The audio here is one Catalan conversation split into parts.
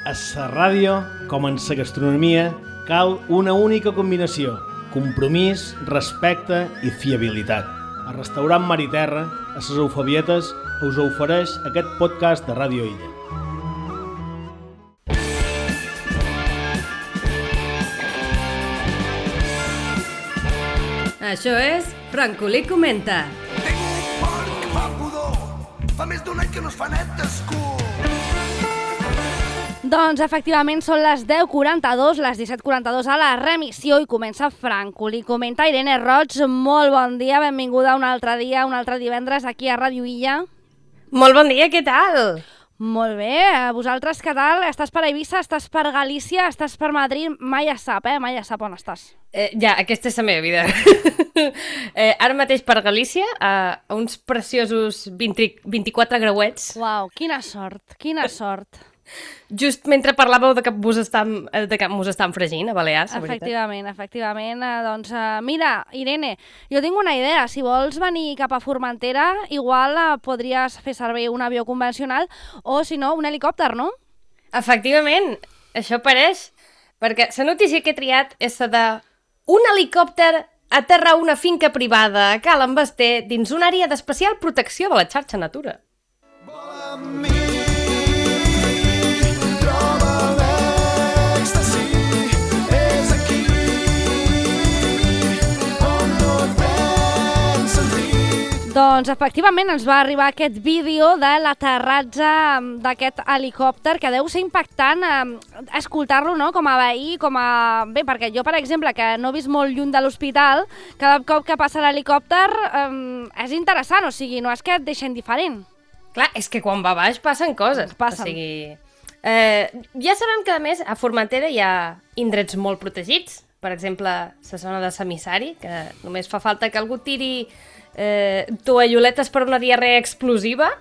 A la ràdio, com en la gastronomia, cal una única combinació: compromís, respecte i fiabilitat. El restaurant Mar i Terra, a les Eufabietes, us ofereix aquest podcast de Ràdio Illa. Això és Francolí Comenta. Tinc un porc que fa pudor. Fa més d'un any que no es fa net d'escur. Doncs efectivament són les 10:42, les 17:42 a la remissió i comença Francolí Comenta. Irene Roig, molt bon dia, benvinguda un altre dia, un altre divendres aquí a Ràdio Illa. Molt bon dia, què tal? Molt bé, vosaltres què tal? Estàs per Eivissa, estàs per Galícia, estàs per Madrid? Mai es sap, mai es sap on estàs. Ja, aquesta és la meva vida. Ara mateix per Galícia, a uns preciosos 24 grauets. Uau, quina sort, quina sort. Just mentre parlàveu de que mos estan fregint a Balears, la veritat. Efectivament. Doncs mira, Irene, jo tinc una idea. Si vols venir cap a Formentera, igual podries fer servir un avió convencional o, si no, un helicòpter, no? Efectivament, això pareix, perquè la notícia que he triat és la de un helicòpter aterra a una finca privada a Cal Basté dins una àrea d'especial protecció de la xarxa Natura. Vola amb mi, troba l'èxtasi, és aquí, on no et vens sentir. Doncs efectivament ens va arribar aquest vídeo de l'aterratge d'aquest helicòpter, que deu ser impactant escoltar-lo, no? Com a veí, Bé, perquè jo, per exemple, que no he vist molt lluny de l'hospital, cada cop que passa l'helicòpter és interessant, o sigui, no és que et deixen diferent. Clar, és que quan va baix passen coses. Passen. O sigui, ja sabem que, a més, a Formentera hi ha indrets molt protegits. Per exemple, la zona de Samissari, que només fa falta que algú tiri tovalloletes per una diarrea explosiva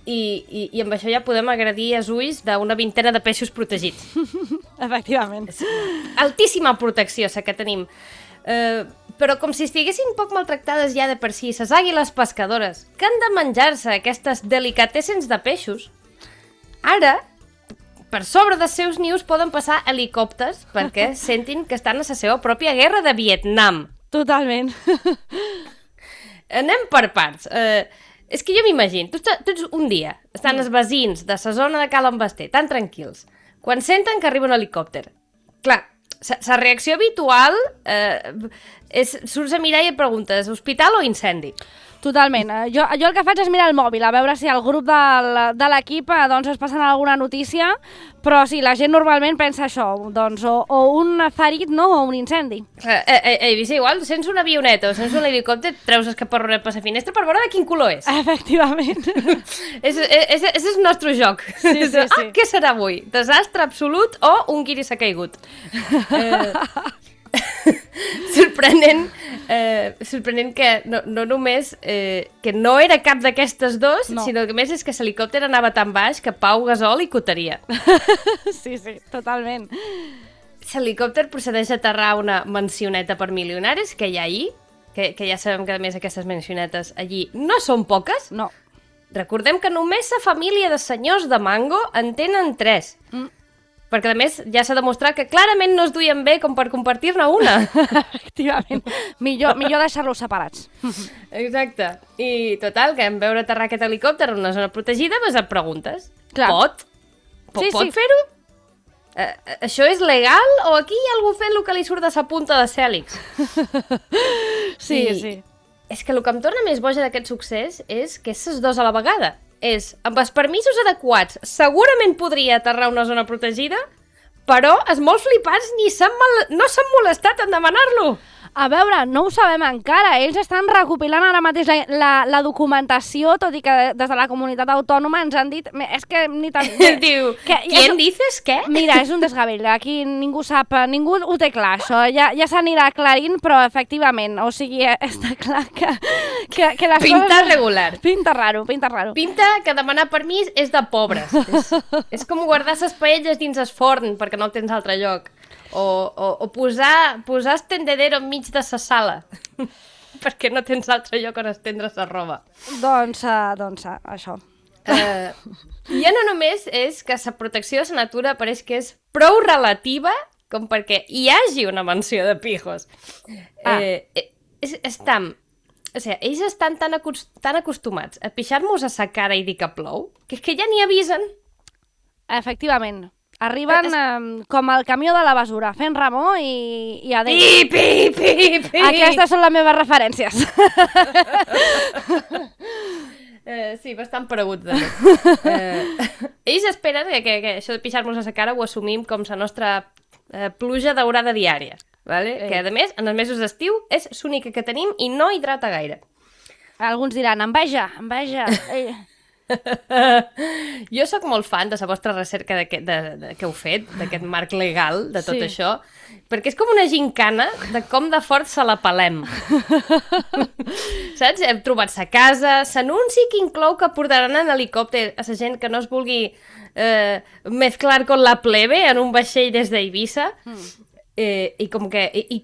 i amb això ja podem agredir els ulls d'una vintena de peixos protegits. Efectivament. Altíssima protecció, la que tenim. Però com si estiguessin poc maltractades ja de per si, les àguiles pescadores, que han de menjar-se aquestes delicatessens de peixos, ara, per sobre dels seus nius poden passar helicòpters perquè sentin que estan a la seva pròpia guerra de Vietnam. Totalment. Anem per parts. És que jo m'imagino, tots un dia estan els veïns de la zona de Cal Basté tan tranquils, quan senten que arriba un helicòpter. Clar, la reacció habitual és surts a mirar i et preguntes hospital o incendi? Totalment. Jo el que faig és mirar el mòbil, a veure si el grup de l'equip doncs es passen alguna notícia, però sí, la gent normalment pensa això, doncs o un ferit, no, o un incendi. Eivissa, igual, sents una avioneta o sents un helicòpter, treus el caparronet per la finestra per veure de quin color és. Efectivament. És el nostre joc. Sí. Què serà avui? Desastre absolut o un guiri s'ha caigut? Sorprenent que no només que no era cap d'aquestes dos, no, sinó que més és que l'helicòpter anava tan baix que Pau Gasol hi cotaria. Sí, totalment. L'helicòpter procedeix a aterrar una mansioneta per milionaris que hi ha allí, que ja sabem que a més aquestes mansionetes allí no són poques. No. Recordem que només la família de senyors de Mango en tenen 3. Perquè, a més, ja s'ha demostrat que clarament no es duien bé com per compartir-ne una. Efectivament. Millor deixar-los separats. Exacte. I, total, que en veure aterrar aquest helicòpter en una zona protegida, et preguntes. Clar. Pot fer-ho? Això és legal o aquí hi ha algú fent el que li surt de sa punta de cèlix? Sí. És que el que em torna més boja d'aquest succés és que és les dos a la vegada. Amb els permisos adequats, segurament podria aterrar a una zona protegida, però els molt flipats no s'han molestat en demanar-lo. A veure, no ho sabem encara. Ells estan recopilant ara mateix la documentació, tot i que des de la comunitat autònoma ens han dit... És que ni tan... Diu, ¿quién dices què? Mira, és un desgavell. Aquí ningú sap, ningú ho té clar, això. Ja s'anirà aclarint, però efectivament, o sigui, està clar que les Pinta coses... regular. Pinta raro. Pinta que demanar permís és de pobres. És com guardar ses paelles dins el forn perquè no el tens a altre lloc. O posar el tendedero enmig de sa sala perquè no tens altre lloc on estendre sa roba. Doncs això. Ja no només és que la protecció de la natura pareix que és prou relativa com perquè hi hagi una menció de pijos. O sigui, ells estan tan acostumats a pixar-nos a sa cara i dir que plou, que és que ja n'hi avisen. Efectivament. Arriben com el camió de la basura, fent remor i adéu. Pi. Aquestes són les meves referències. Sí, bastant paregut, també. Ells esperen que això de pixar-nos a la cara ho assumim com la nostra pluja daurada diària, vale? Que, a més, en els mesos d'estiu és l'única que tenim i no hidrata gaire. Alguns diran, enveja. Jo sóc molt fan de la vostra recerca que heu fet, d'aquest marc legal, de tot això, perquè és com una gincana de com de fort se la pelem. Saps? Hem trobat sa casa, s'anunci que inclou que portaran en helicòpter a la gent que no es vulgui mezclar con la plebe en un vaixell des d'Eivissa, i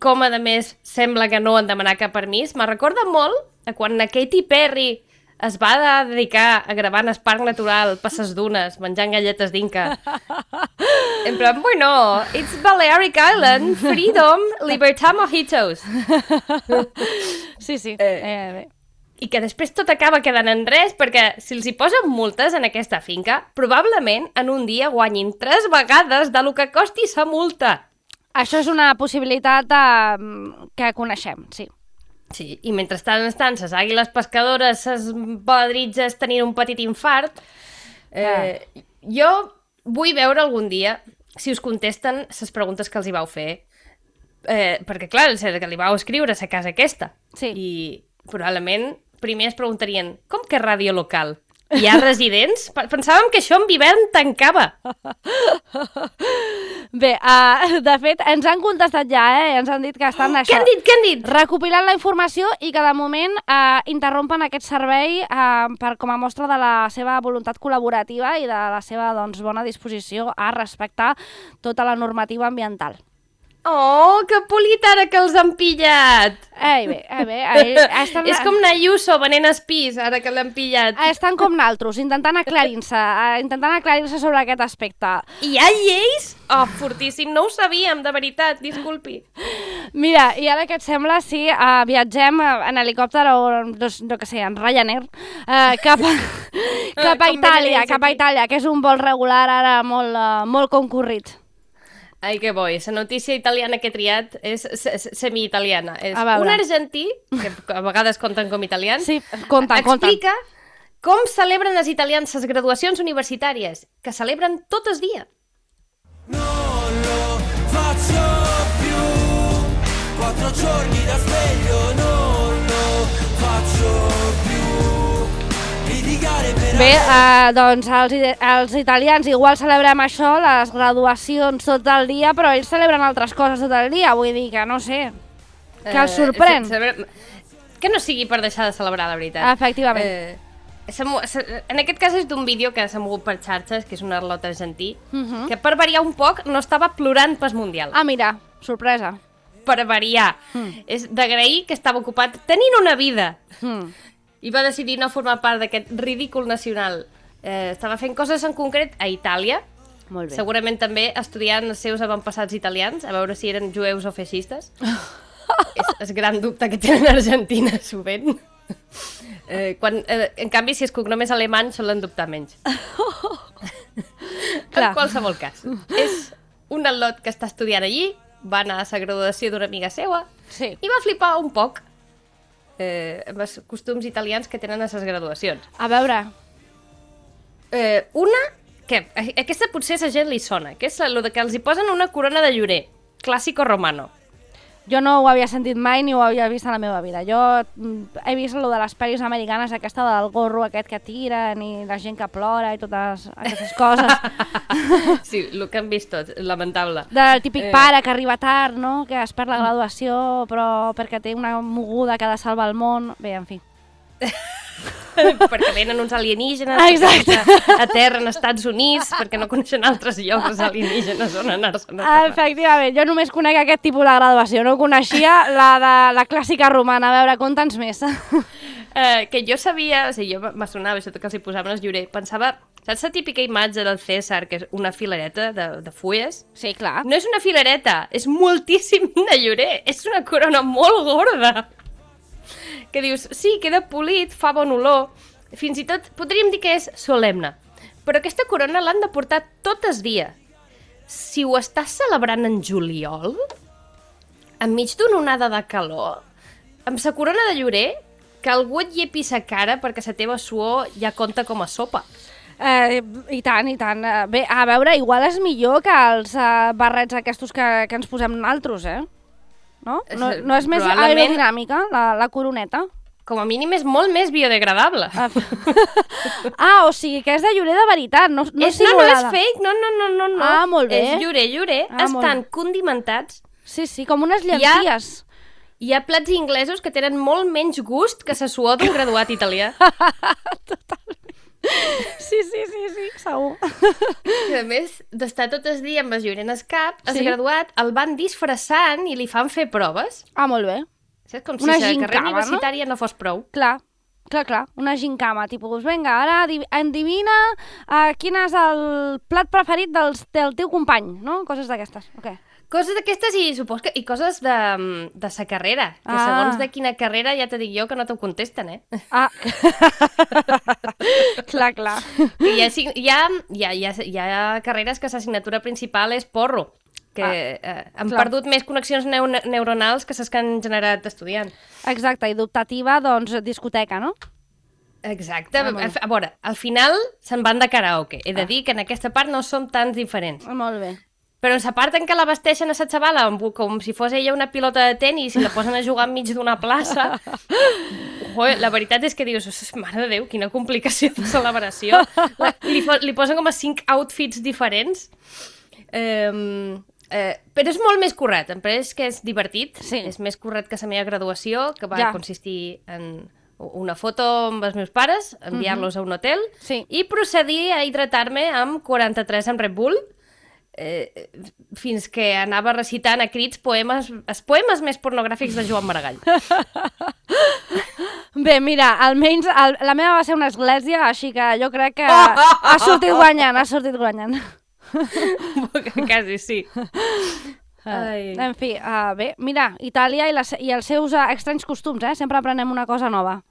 com a més sembla que no han demanat cap permís. Me recorda molt a quan la Katy Perry es va dedicar a gravar en el parc natural per ses dunes, menjant galletes d'Inca. En plan, bueno, it's Balearic Island, freedom, libertad mojitos. Sí. Bé. I que després tot acaba quedant en res, perquè si els hi posen multes en aquesta finca, probablement en un dia guanyin 3 vegades de lo que costi sa multa. Això és una possibilitat que coneixem, sí. Sí, i mentrestant estan ses àguiles pescadores, ses baladritges tenint un petit infart. Jo vull veure algun dia si us contesten les preguntes que els hi vau fer. Perquè, clar, que li vau escriure a la casa aquesta. Sí. I probablement primer es preguntarien com que ràdio local? Hi ha residents? Pensàvem que això en hivern tancava. Bé, de fet, ens han contestat ja, ens han dit que estan Què han dit? recopilant la informació i que de moment interrompen aquest servei com a mostra de la seva voluntat col·laborativa i de la seva bona disposició a respectar tota la normativa ambiental. Oh, que polit ara que els han pillat! Bé. És com Nayuso venent espís, ara que l'han pillat. Estan com naltros, intentant aclarir-se sobre aquest aspecte. Hi ha lleis? Oh, fortíssim, no ho sabíem, de veritat, disculpi. Mira, i ara que et sembla, si viatgem en helicòpter o, no que sé, en Ryanair, cap a Itàlia, que és un vol regular ara molt concurrit. Ai, que bo, la notícia italiana que he triat és semi-italiana. És A veure. un argentí, que a vegades compten com italians, Sí, compten. explica com celebren els italians les graduacions universitàries, que celebren tot el dia. Non lo faccio più, 4 giorni da sveglio, non lo faccio più, litigare per... Bé, doncs els italians igual celebrem això, les graduacions tot el dia, però ells celebren altres coses tot el dia, vull dir que no sé, que els sorprèn. Que no sigui per deixar de celebrar, la veritat. Efectivament. En aquest cas és d'un vídeo que s'ha mogut per xarxes, que és un arlot argentí, que per variar un poc no estava plorant pas mundial. Ah, mira, sorpresa. Per variar. És d'agrair que estava ocupat tenint una vida. I va decidir no formar part d'aquest ridícul nacional. Estava fent coses en concret a Itàlia, Molt bé. segurament també estudiant els seus avantpassats italians, a veure si eren jueus o feixistes. És el gran dubte que tenen a Argentina, sovint. En canvi, si el cognom és alemany, solen dubtar menys. Clar. En qualsevol cas. És un al·lot que està estudiant allí, va anar a la graduació d'una amiga seua Sí. i va flipar un poc amb els costums italians que tenen a les graduacions. A veure, Una, que aquesta potser a la gent li sona, que és el que els hi posen una corona de llorer, clàssico romano. jo no ho havia sentit mai ni ho havia vist a la meva vida. Jo he vist lo de les pel·lis americanes, aquesta del gorro aquest que tiren i la gent que plora i totes aquestes coses. Sí, el que han vist tots, lamentable. Del típic pare que arriba tard, no? Que es perd la graduació, però perquè té una moguda que ha de salvar el món. Bé, en fi. perquè venen uns alienígenes a terra en Estats Units, perquè no coneixen altres llocs els alienígenes on anar-se'n a terra. Efectivament, jo només conec aquest tipus de graduació, no coneixia la de la clàssica romana. A veure, conta'ns més. Que jo sabia, o sigui, jo m'assonava això que els hi posaven el llorer, pensava, saps la típica imatge del César, que és una filareta de fulles? Sí, clar. No és una filareta, és moltíssim de llorer, és una corona molt gorda. Que dius, sí, queda polit, fa bon olor, fins i tot podríem dir que és solemne, però aquesta corona l'han de portar tot el dia. Si ho estàs celebrant en juliol, enmig d'una onada de calor, amb sa corona de llorer, que algú et llepi sa cara perquè la teva suor ja compta com a sopa. I tant, i tant. Bé, a veure, igual és millor que els barrets aquests que ens posem nosaltres, No? No és més aerodinàmica, la coroneta? Com a mínim és molt més biodegradable. O sigui que és de llorer de veritat, no simulada. No és fake, no. Ah, molt bé. És llorer. Estan condimentats. Sí, com unes llenties. Hi ha plats inglesos que tenen molt menys gust que la suor d'un graduat italià. Totalment. Sí, segur. I a més d'estar tot el dia amb el llorer en el cap, el graduat el van disfressant i li fan fer proves. Ah, molt bé. Saps? Com si la carrera universitària no fos prou. Clar. Una gincama, tipus, vinga, ara endivina quin és el plat preferit del teu company, no? Coses d'aquestes, ok. Coses d'aquestes i coses de sa carrera, que segons de quina carrera ja te dic jo que no t'ho contesten, Clar. Hi ha carreres que l'assignatura principal és porro, que han perdut més connexions neuronals que les que han generat estudiant. Exacte, i d'optativa, doncs, discoteca, no? Exacte. A veure, al final se'n van de karaoke. He de dir que en aquesta part no som tan diferents. Molt bé. Però en la part en què la vesteixen a la xavala com si fos ella una pilota de tenis i la posen a jugar enmig d'una plaça, la veritat és que dius, mare de Déu, quina complicació de celebració. Li posen com a 5 outfits diferents. Però és molt més currat, em pareix que és divertit, és més currat que la meva graduació, que va consistir en una foto amb els meus pares, enviar-los a un hotel i procedir a hidratar-me amb 43 amb Red Bull, fins que anava recitant a crits els poemes més pornogràfics de Joan Maragall. Bé, mira, almenys la meva va ser una església, així que jo crec que ha sortit guanyant. Quasi, sí. En fi, bé, mira, Itàlia i els seus estranys costums, sempre aprenem una cosa nova.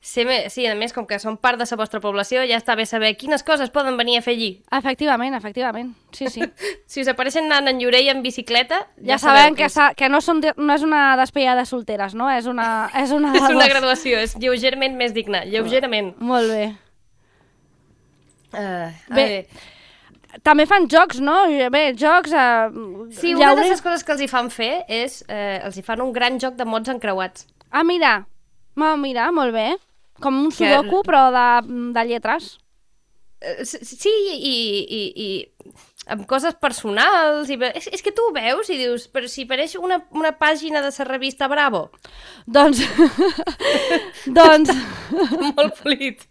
Sí, a més, com que són part de la vostra població, ja està bé saber quines coses poden venir a fer allí. Efectivament, sí. Si us apareixen anant en llorer i en bicicleta, ja sabem que no és una despedida de solteres, no? És una graduació, és lleugerament més digna, lleugerament. Molt bé. Bé, també fan jocs, no? Bé, jocs... Sí, una de les coses que els hi fan fer és... els hi fan un gran joc de mots encreuats. Ah, mira, molt bé. Com un sudoku, però de lletres. Sí, i amb coses personals. És que tu ho veus i dius, però si pareix una pàgina de la revista Bravo. Doncs... Molt polit.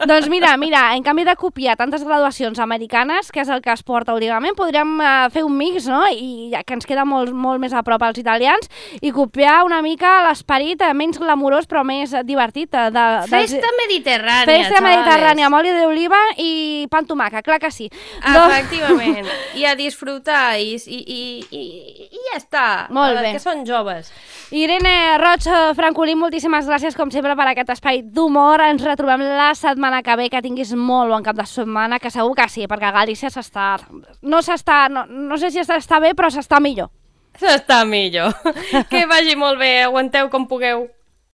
Doncs mira, en canvi de copiar tantes graduacions americanes, que és el que es porta últimament, podríem fer un mix, no? I que ens queda molt més a prop als italians, i copiar una mica l'esperit menys glamurós però més divertit. Festa mediterrània, Festa mediterrània amb oli d'oliva i pa amb tomàquet, clar que sí. Efectivament. I a disfrutar i ja està. Molt bé. Que són joves. Irene Roig Francolí, moltíssimes gràcies com sempre per aquest espai d'humor. Ens retrobem la setmana que ve, que tinguis molt bon cap de setmana, que segur que sí, perquè a Galícia s'està... No sé si està bé, però s'està millor. S'està millor. Que vagi molt bé, aguanteu com pugueu.